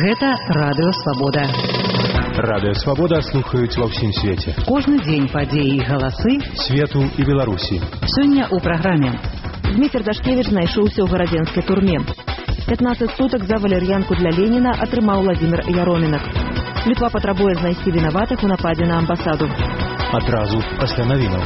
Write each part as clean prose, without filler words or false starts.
Гэта Радыё Свабода. Радыё Свабода слухаюць ва ўсім свеце. Кожны дзень падзеі і галасы свету і Беларусі. Сёння ў праграме. Дмітрий Дашкевич знайшоўся ў гарадзенскай турме. 15 сутак за валер'янку для Леніна атрымаў Владимир Яромінак. Літва патрабуе знайсці вінаватых у нападзе на амбасаду. Адразу пасля навінаў.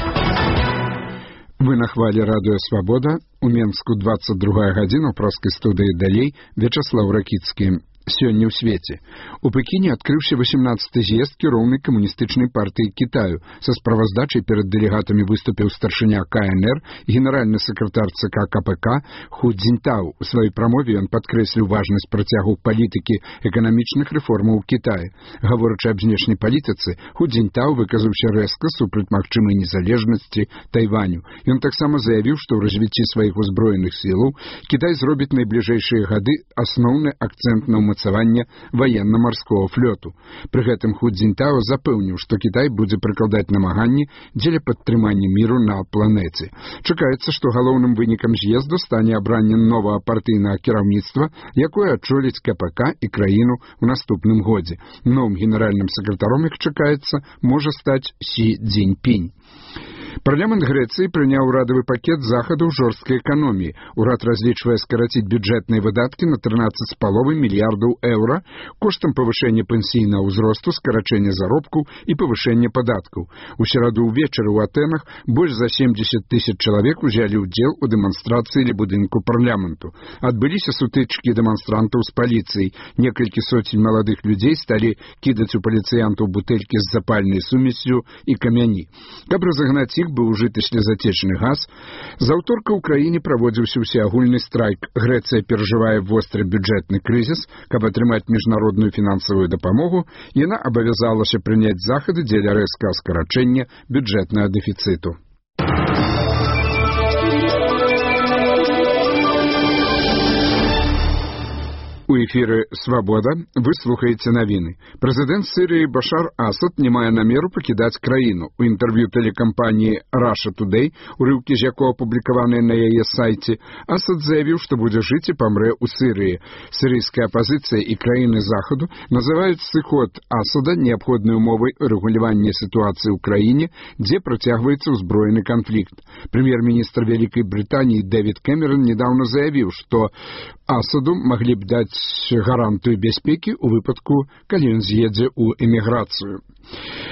Вы на хвале Радыё Свабода. У Менску 22 гадзіна ў праскай студыі далей Вячаслаў Ракіцкі. Сёння ў свеце. У Пекіне адкрыўся 18-й з'езд кіроўнай камуністычнай партыі Кітаю. Са справаздачай перад дэлегатамі выступіў старшыня КНР, генеральны сакратар ЦК КПК Ху Цзіньтау. У сваёй прамове ён падкрэсліў важнасць працягу палітыкі эканамічных рэформаў у Кітаі. Гаворачы аб знешняй палітыцы, Ху Цзіньтау выказаўся рэзка супраць магчымай незалежнасці Тайваню. Ён таксама заявіў, што ў развіцці сваіх узброеных сілаў Кітай зробіць найбліжэйшыя гады асноўны акцэнт на умацаванне ваенна-марского флоту. Пры гэтым Ху Цзіньтао запэўніў, што Кітай будзе прыкладаць намаганні дзеля падтрымання міру на планеце. Чакаецца, што галоўным вынікам з'езду стане абранне новага партыйнага кіраўніцтва, якое адчоліць КПК і краіну ў наступным годзе. Новым генеральным сакратаром, як чакаецца, можа стаць Сі Цзіньпінь. Парламент Грэцыі прыняў урадавы пакет захадаў жорсткай эканоміі. Урад разлічвае скараціць бюджэтныя выдаткі на 13,5 мільярдаў еўра коштам павышэння пенсійнага ўзросту, скарачэння заробкаў і павышэння падаткаў. У сераду ўвечары ў Атэнах больш за 70 000 чалавек узялі ўдзел у дэманстрацыі ля будынку парламенту. Адбыліся сутычкі дэманстрантаў з паліцыяй. Некалькі соцень маладых людзей сталі кідаць у паліцыянтаў бутэлькі з запальнай сумессю і камяні. Каб разагнаць іх, быў ужыты слезатечны газ. З аўторка ў краіне праводзіўся ўсеагульны страйк. Грэцыя перажывае востры бюджэтны крызіс. Каб атрымаць міжнародную фінансавую дапамогу, яна абавязалася прыняць захады дзеля рэзкага скарачэння бюджэтнага дэфіцыту. У эфіры «Свабода» вы слухаеце навіны. Прэзідэнт Сірыі Башар Асад не мае намеру пакідаць краіну. У інтэрв'ю тэлекампаніі Russia Today, урыўкі з якога апублікаваныя на яе сайце, Асад заявіў, што будзе жыць і памрэ ў Сірыі. Сірыйская апазіцыя і краіны Захаду называюць сыход Асада неабходнай умовай рэгулявання сітуацыі ў краіне, дзе працягваецца ўзброены канфлікт. Прэм'ер-міністр Вялікай Брытаніі Дэвід Кэмерон недаўна заявіў, што Асаду маглі б даць гарантыю бяспекі ў выпадку, калі ён з'едзе ў эміграцыю.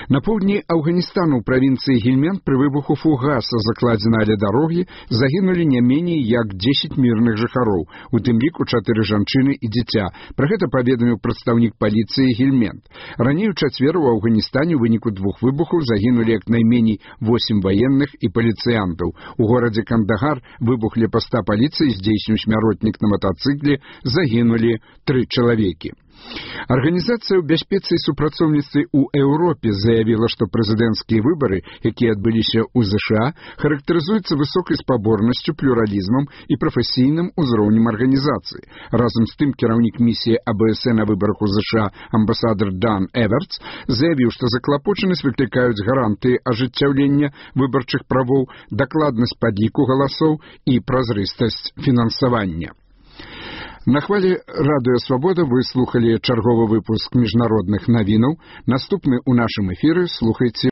На поўдні Афганістану ў правінцыі Гельманд пры выбуху фугаса, закладзена ля дарогі, загінулі не меней як 10 мірных жыхароў, у тым ліку 4 жанчыны і дзіця. Пра гэта паведаміў прадстаўнік паліцыі Гельманд. Раней у чацвер у Афганістане ў выніку 2 выбухаў загінулі як найменей 8 ваенных і паліцыянтаў. У горадзе Кандагар выбух ля паста паліцыі здзейсніў смяротнік на матацыкле, загінулі 3 чалавекі. Арганізацыя ў бяспецы і супрацоўніцтве ў Еўропе заявіла, што прэзідэнцкія выбары, якія адбыліся ў ЗША, характарызуюцца высокай спаборнасцю, плюралізмам і прафесійным узроўнем арганізацыі. Разам з тым, кіраўнік місіі АБС на выбарах у ЗША амбасадар Дан Эвертс заявіў, што заклапочанасць выклікаюць гарантыі ажыццяўлення выбарчых правоў, дакладнасць падліку галасоў і празрыстасць фінансавання. На хвале Радыё Свабода вы слухалі чарговы выпуск міжнародных навінаў. Наступны ў нашым эфіры слухайце